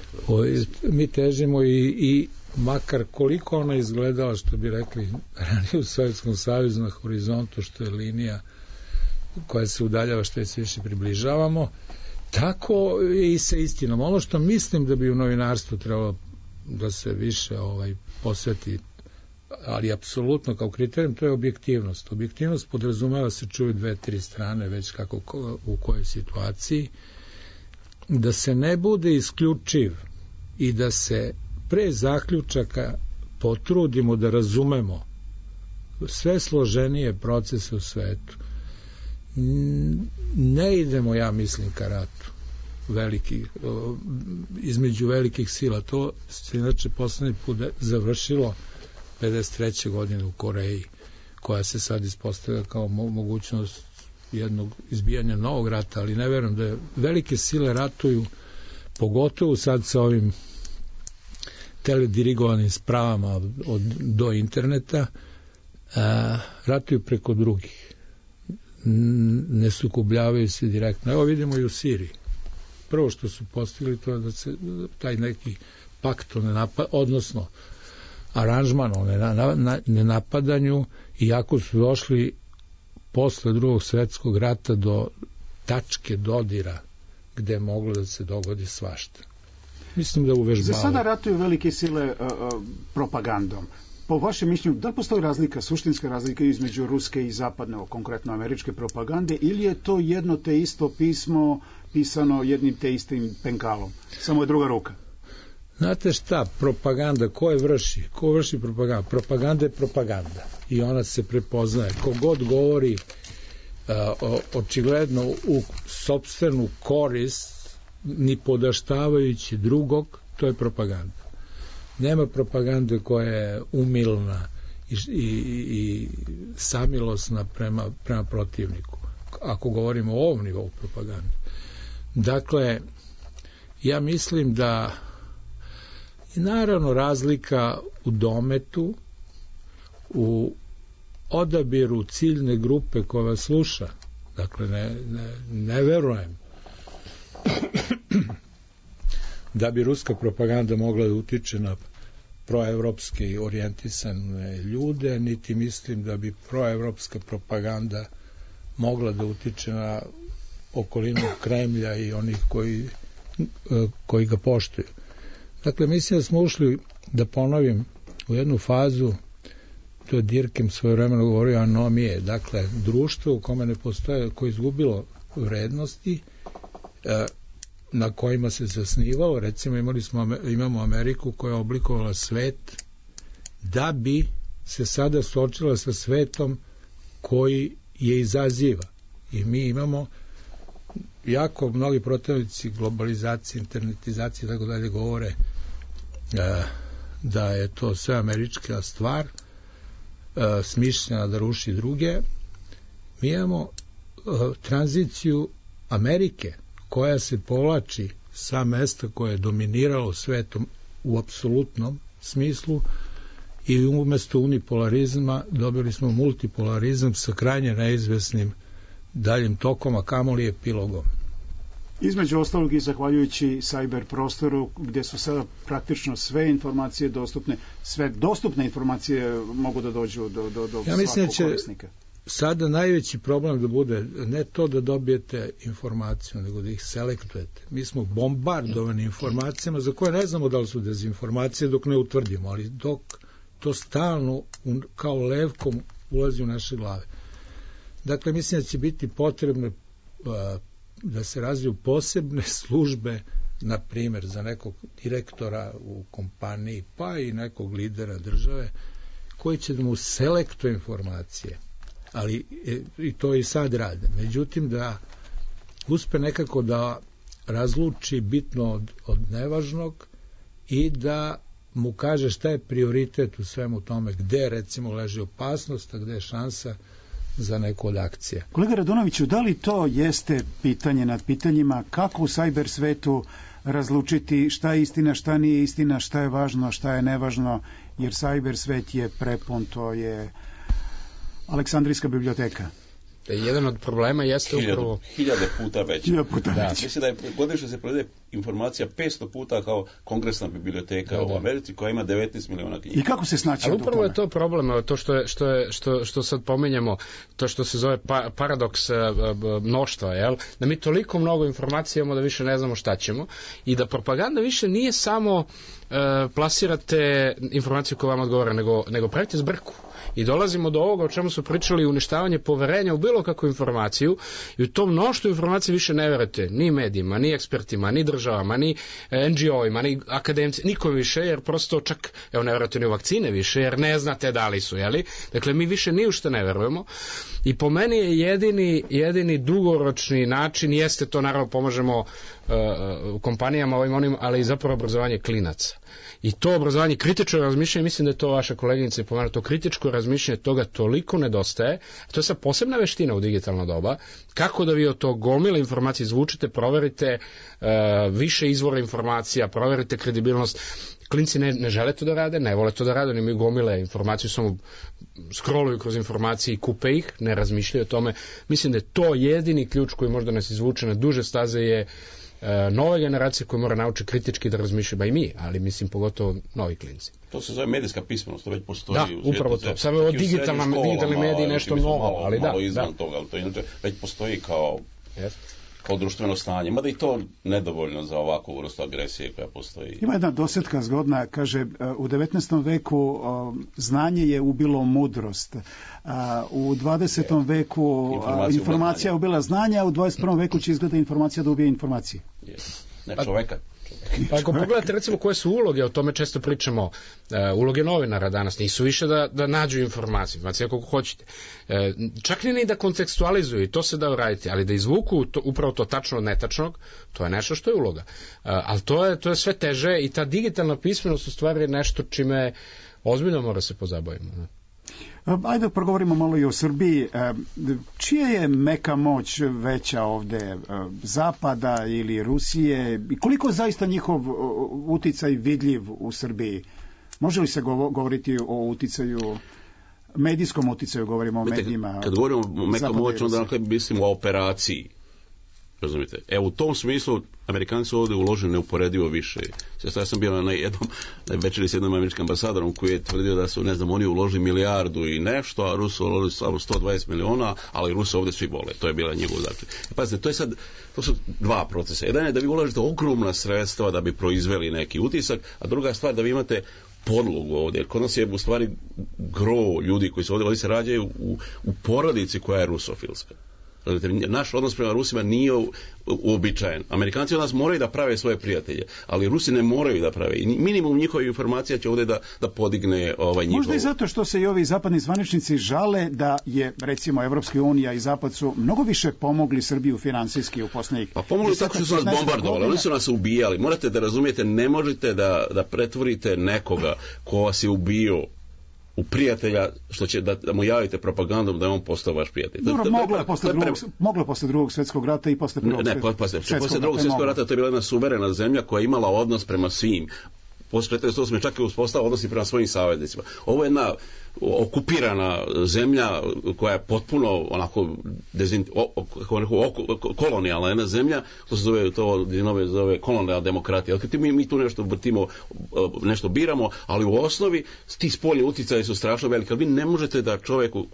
Mi težimo i makar koliko ona izgledala, što bi rekli ranije u Sovjetskom savezu, na horizontu, što je linija koja se udaljava što je se više približavamo, tako je i sa istinom. Ono što mislim da bi u novinarstvu trebalo da se više posveti, ali apsolutno kao kriterijum, to je objektivnost. Objektivnost podrazumeva se čuju 2-3 strane, već kako u kojoj situaciji, da se ne bude isključiv i da se pre zaključaka potrudimo da razumemo sve složenije procese u svetu. Ne idemo, ja mislim, ka ratu između velikih sila. To se inače poslednji put završilo 53. godine u Koreji, koja se sad ispostavlja kao mogućnost jednog izbijanja novog rata, ali ne verujem da velike sile ratuju, pogotovo sad sa ovim teledirigovanim spravama do interneta, ratuju preko drugih. Ne sukobljavaju se direktno. Evo vidimo i u Siriji. Prvo što su postigli to je da se taj neki pakt odnosno aranžman o nenapadanju, iako su došli posle Drugog svjetskog rata do tačke dodira gde je moglo da se dogodi svašta. Mislim da uvežbavaju. Za sada ratuju velike sile propagandom. Po vašem mišljenju, da li postoji razlika, suštinska razlika između ruske i zapadne, konkretno američke propagande, ili je to jedno te isto pismo pisano jednim te istim penkalom? Samo je druga ruka. Znate šta, propaganda, ko vrši propagandu? Propaganda je propaganda i ona se prepoznaje. Kogod govori očigledno u sopstvenu korist, ni podaštavajući drugog, to je propaganda. Nema propagande koja je umilna i samilosna prema protivniku, ako govorimo o ovom nivou propagande. Dakle, ja mislim da je naravno razlika u dometu, u odabiru ciljne grupe koja vas sluša. Dakle, ne verujem da bi ruska propaganda mogla da utiče na proevropski orijentisane ljude, niti mislim da bi proevropska propaganda mogla da utiče na okolinu Kremlja i onih koji ga poštuju. Dakle, mislim da smo ušli, da ponovim, u jednu fazu, to je Dirkem svojevremeno govorio, anomije, dakle, društvo u kome ne postoje, koje je izgubilo vrednosti, na kojima se zasnivalo. Recimo imamo Ameriku koja je oblikovala svet da bi se sada suočila sa svetom koji je izaziva. I mi imamo jako mnogi protivnici globalizacije, internetizacije i tako dalje govore da je to sve američka stvar, smišljena da ruši druge. Mi imamo tranziciju Amerike koja se povlači sa mesta koje je dominiralo svetom u apsolutnom smislu i umesto unipolarizma dobili smo multipolarizam sa krajnje neizvesnim daljim tokom, a kamoli epilogom. Između ostalog i zahvaljujući cyber prostoru gdje su sada praktično sve informacije dostupne, sve dostupne informacije mogu da dođu do svakog korisnika. Sada najveći problem da bude ne to da dobijete informaciju, nego da ih selektujete. Mi smo bombardovani informacijama za koje ne znamo da li su dezinformacije dok ne utvrdimo, ali dok to stalno kao levkom ulazi u naše glave. Dakle, mislim da će biti potrebno da se razviju posebne službe, na primjer za nekog direktora u kompaniji, pa i nekog lidera države, koji će da mu selektuje informacije. Ali i to i sad rade. Međutim, da uspe nekako da razluči bitno od nevažnog i da mu kaže šta je prioritet u svemu tome, gde recimo leži opasnost, a gde je šansa za neku od akcija. Kolega Radonoviću, da li to jeste pitanje nad pitanjima kako u cyber svetu razlučiti šta je istina, šta nije istina, šta je važno, šta je nevažno, jer cyber svet je prepun, to je Aleksandrijska biblioteka. Jedan od problema jeste upravo... Hiljade puta veće. Da. Mislim da je godišnje se prodaje informacija 500 puta kao kongresna biblioteka u Americi koja ima 19 miliona knjiga. I kako se snaći? Ali upravo je to problem, to što sad pominjemo, to što se zove paradoks mnoštva, jel? Da mi toliko mnogo informacija imamo da više ne znamo šta ćemo i da propaganda više nije samo plasirate informaciju koja vam odgovara, nego pravite zbrku. I dolazimo do ovoga o čemu su pričali, uništavanje poverenja u bilo kakvu informaciju, i u tom mnoštvu informacije više ne verujete ni medijima, ni ekspertima, ni državama, ni NGO-ima, ni akademci, nikom više, jer prosto čak, evo, ne verujete ni u vakcine više, jer ne znate da li su, jeli? Dakle, mi više ni u što ne verujemo. I po meni je jedini dugoročni način, jeste to, naravno, pomažemo kompanijama ovim onim, ali i zapravo obrazovanje klinaca. I to obrazovanje, kritičko razmišljanje, mislim da je to vaša koleginica pomenula, to kritičko razmišljanje, toga toliko nedostaje. To je sad posebna veština u digitalno doba, kako da vi od tog gomila informacije izvučete, proverite više izvora informacija, proverite kredibilnost, Klinci ne žele to da rade, ne vole to da rade, oni imaju gomile informaciju, samo scrolluju kroz informacije i kupe ih, ne razmišljaju o tome. Mislim da je to jedini ključ koji možda nas izvuče na duže staze je nova generacija koja mora naučiti kritički da razmišlja, ba i mi, ali mislim pogotovo novi klinci. To se zove medijska pismenost, to već postoji. Da, upravo to. Samo je digitalni mediji nešto novo, ali malo izvan toga, ali to inače već postoji kao društveno stanje. Mada i to nedovoljno za ovakvu vrstu agresije koja postoji. Ima jedna dosjetka zgodna, kaže, u 19. veku znanje je ubilo mudrost. U 20. veku informacija je ubila znanje, a u 21. veku će izgleda informacija da ubije informacije. Ne čoveka. Pa ako pogledate recimo koje su uloge, o tome često pričamo, uloge novinara danas nisu više da nađu informacije kako hoćete. Čak ni da kontekstualizuju, i to se da uraditi, ali da izvuku upravo to tačno od netačnog, to je nešto što je uloga. Ali to je sve teže i ta digitalna pismenost u stvari je nešto čime ozbiljno mora se pozabavimo. Ajde progovorimo malo i o Srbiji. Čija je meka moć veća ovde, Zapada ili Rusije? I koliko je zaista njihov uticaj vidljiv u Srbiji? Može li se govoriti o uticaju, medijskom uticaju, govorimo o medijima? Kad govorimo o meka moć, onda mislimo o operaciji. Razumite? Evo, u tom smislu Amerikanci su ovdje uložili neuporedivo više. Ja sam bio na jednom večeri s jednom američkim ambasadorom koji je tvrdio da su, oni uložili milijardu i nešto, a Rusi uložili samo 120 miliona, ali Rusi ovdje svi vole. To je bila njegova dakle. Pazite, to su dva procesa. Jedan je da vi ulažete ogromna sredstva da bi proizveli neki utisak, a druga stvar da vi imate podlogu ovdje. Jer kod nas je u stvari gro ljudi koji su ovdje se rađaju u porodici koja je rusofilska. Naš odnos prema Rusima nije uobičajen. Amerikanci od nas moraju da prave svoje prijatelje, ali Rusi ne moraju da prave. I minimum njihovih informacija će ovdje da podigne njihov. Možda i zato što se i ovi zapadni zvaničnici žale da je, recimo, Evropska unija i Zapad su mnogo više pomogli Srbiju finansijski u posljednjih. Pa pomogli tako što su nas bombardovali, oni su nas ubijali. Morate da razumijete, ne možete da pretvorite nekoga ko vas je ubio u prijatelja, što će da mu javite propagandom da je on postao vaš prijatelj. Dobro, moglo posle drugog svjetskog rata i posle prvog posle drugog svjetskog rata to je bila jedna suverena zemlja koja je imala odnos prema svim. Posle 1948 čak je uspostavila odnosi prema svojim saveznicima. Ovo je jedna okupirana zemlja koja je potpuno onako kolonijalna jedna zemlja, to se zove kolonijalna demokratija. Mi tu nešto vrtimo, nešto biramo, ali u osnovi ti spoljni uticaji su strašno veliki, ali vi ne možete da čoveku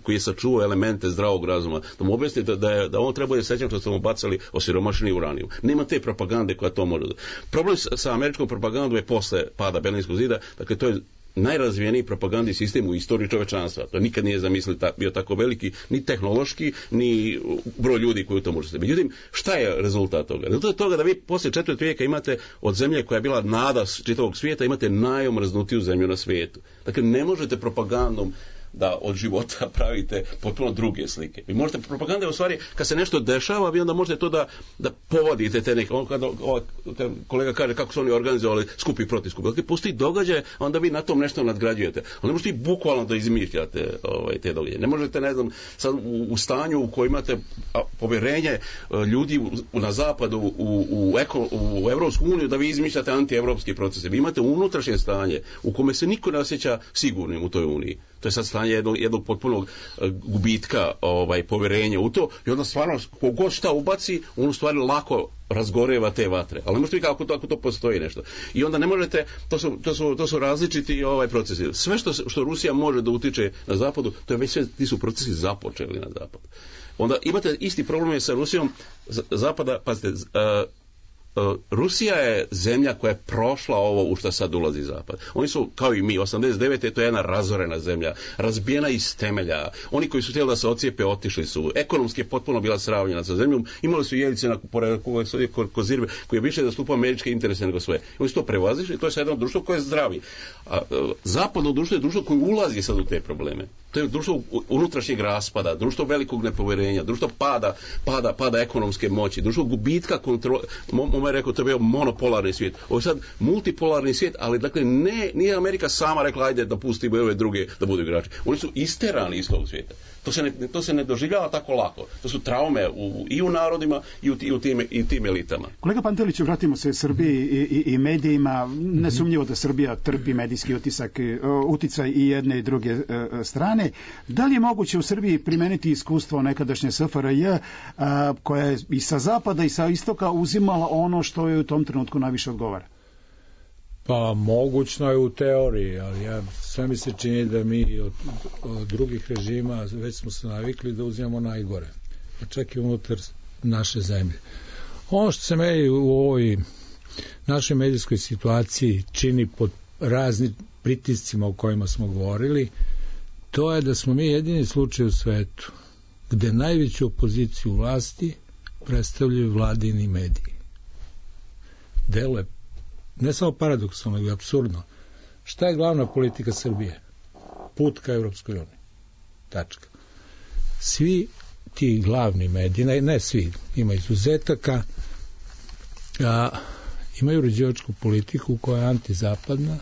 koji je sačuvao elemente zdravog razuma, da mu objasnite da on treba da sećam što ste mu bacali osiromašeni uranijum. Nema te propagande koja to može. Problem sa američkom propagandom je posle pada Berlinskog zida, dakle to je najrazvijeniji propagandni sistem u istoriji čovečanstva. To nikad nije bio tako veliki, ni tehnološki, ni broj ljudi koji u to možete. Međutim, šta je rezultat toga? Rezultat toga da vi poslije 4. vijeka imate od zemlje koja je bila nada čitavog svijeta, imate najomrznutiju zemlju na svijetu. Dakle, ne možete propagandom da od života pravite potpuno druge slike. Vi možete, propaganda je u stvari, kad se nešto dešava, vi onda možete to da povodite te neke, kad kolega kaže kako su oni organizovali skupi protiv skupi. Dakle, postoji događaj, onda vi na tom nešto nadgrađujete. Onda možete i bukvalno da izmišljate te događaje. Ne možete, ne znam, sad u stanju u kojem imate povjerenje ljudi na zapadu, u Evropsku uniju, da vi izmišljate antievropski procese. Vi imate unutrašnje stanje u kome se niko ne osjeća sigurnim u toj uniji. To je sad stanje jednog potpunog gubitka povjerenja u to i onda stvarno kogod šta ubaci, on u stvari lako razgoreva te vatre. Ali ne možete vidjeti kako to postoji nešto. I onda ne možete, to su različiti procesi. Sve što Rusija može da utiče na zapadu, to je već sve, ti su procesi započeli na zapadu. Onda imate isti problem sa Rusijom zapada, pazite, Rusija je zemlja koja je prošla ovo u što sad ulazi zapad. Oni su, kao i mi, 89. to je jedna razorena zemlja, razbijena iz temelja. Oni koji su htjeli da se ocijepe, otišli su. Ekonomski je potpuno bila sravnjena sa zemljom. Imali su Jeljice na Kozirbe, koji je više zastupao američke interese nego sve. Oni su to prevazišli, to je sad jedno društvo koje je zdravi. A zapadno društvo je društvo koje ulazi sad u te probleme. To je društvo unutrašnjeg raspada, društvo velikog nepovjerenja, društvo pada ekonomske moći, društvo gubitka Gomer rekao, to je bio monopolarni svijet. Ovo je sad multipolarni svijet, ali dakle nije Amerika sama rekla, ajde da pustimo ove druge da budu igrači. Oni su isterani iz tog svijeta. To se ne doživljava tako lako. To su traume i u narodima i u tim elitama. Kolega Panteliću, vratimo se Srbiji i medijima. Nesumnjivo da Srbija trpi medijski uticaj i jedne i druge strane. Da li je moguće u Srbiji primeniti iskustvo nekadašnje SFRJ koja je i sa zapada i sa istoka uzimala ono što je u tom trenutku najviše odgovara? Pa mogućno je u teoriji, ali sve mi se čini da mi od drugih režima već smo se navikli da uzimamo najgore, čak i unutar naše zemlje. Ono što se meni u ovoj našoj medijskoj situaciji čini pod raznim pritiscima o kojima smo govorili, to je da smo mi jedini slučaj u svetu gde najveću opoziciju vlasti predstavljaju vladini mediji. Deluje ne samo paradoksalno, nego apsurdno. Šta je glavna politika Srbije? Put ka Evropskoj uniji. Tačka. Svi ti glavni mediji, ne svi, ima izuzetaka, imaju uređivačku politiku koja je antizapadna.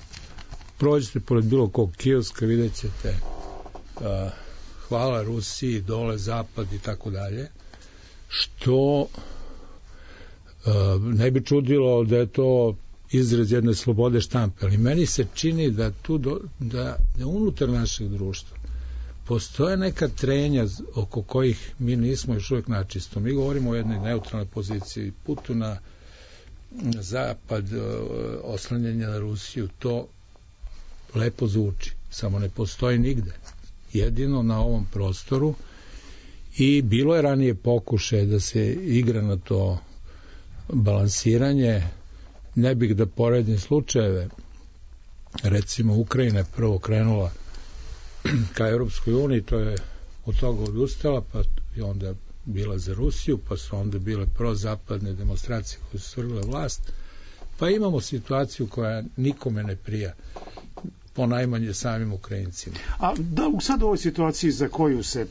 Prođete pored bilo kog kioska, vidjet ćete hvala Rusiji, dole zapad i tako dalje, što ne bi čudilo da je to izraz jedne slobode štampe, ali meni se čini da da unutar našeg društva postoje neka trenja oko kojih mi nismo još uvijek načisto. Mi govorimo o jednoj neutralnoj poziciji, putu na zapad, oslanjanje na Rusiju, to lepo zvuči, samo ne postoji nigde. Jedino na ovom prostoru, i bilo je ranije pokušaje da se igra na to balansiranje. Ne bih da poredim slučajeve, recimo Ukrajina je prvo krenula ka Europskoj uniji, to je od toga odustala, pa je onda bila za Rusiju, pa su onda bile prozapadne demonstracije koje su svrgle vlast, pa imamo situaciju koja nikome ne prija, ponajmanje samim Ukrajincima. A da sad u ovoj situaciji za koju se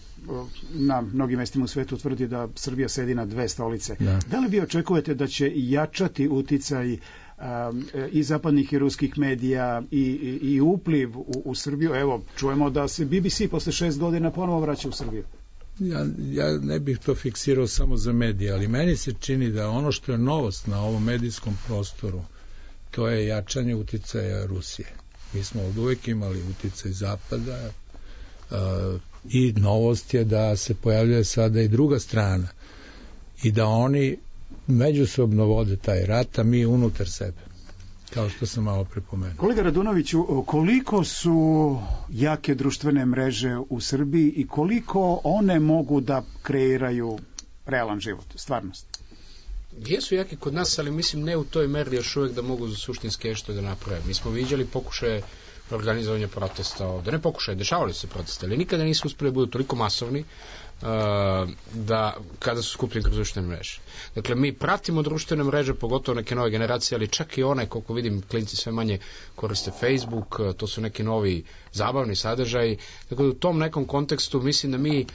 na mnogim mestima u svetu tvrdi da Srbija sedi na dve stolice, da li vi očekujete da će jačati uticaj i zapadnih i ruskih medija i upliv u Srbiju? Evo, čujemo da se BBC posle 6 godina ponovo vraća u Srbiju. Ja ne bih to fiksirao samo za medije, ali meni se čini da ono što je novost na ovom medijskom prostoru, to je jačanje uticaja Rusije. Mi smo od uvek imali uticaj zapada i novost je da se pojavljuje sada i druga strana i da oni međusobno vode taj rat, a mi unutar sebe, kao što sam malo prepomenuo. Kolega Radunoviću, koliko su jake društvene mreže u Srbiji i koliko one mogu da kreiraju realan život, stvarnost? Jesu jaki kod nas, ali mislim ne u toj meri još uvijek da mogu suštinski nešto da naprave. Mi smo viđali pokušaje organizovanja protesta ovde. Ne pokušaje, dešavali su se proteste, ali nikada nisu uspeli da budu toliko masovni da kada su skupljeni kroz društvene mreže. Dakle, mi pratimo društvene mreže, pogotovo neke nove generacije, ali čak i one, koliko vidim, klinci sve manje koriste Facebook, to su neki novi zabavni sadržaji. Dakle, u tom nekom kontekstu mislim da mi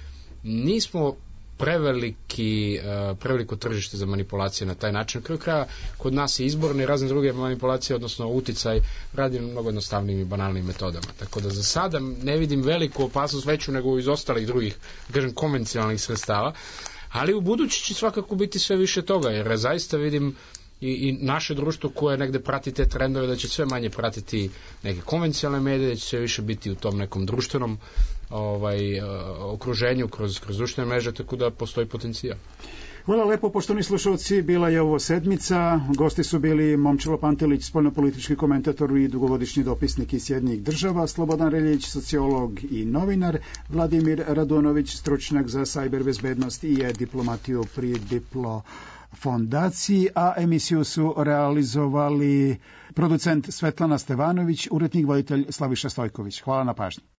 nismo preveliko tržište za manipulacije na taj način. Na kraju kraja, kod nas je izborne i razne druge manipulacije, odnosno uticaj, radi na mnogo jednostavnim i banalnim metodama. Tako da za sada ne vidim veliku opasnost, veću nego iz ostalih drugih, kažem, konvencionalnih sredstava, ali u budući će svakako biti sve više toga, jer zaista vidim i naše društvo koje negde prati te trendove da će sve manje pratiti neke konvencionalne medije, da će sve više biti u tom nekom društvenom okruženju kroz društvene mreže, tako da postoji potencijal. Hvala lepo, poštovani slušalci, bila je ovo sedmica. Gosti su bili Momčilo Pantelić, spoljnopolitički komentator i dugovodišnji dopisnik iz Sjedinjenih Država, Slobodan Reljić, sociolog i novinar, Vladimir Radunović, stručnjak za sajber bezbednost i diplomatiju pri Diplo fondaciji, a emisiju su realizovali producent Svetlana Stevanović, urednik voditelj Slaviša Stojković. Hvala na pažnji.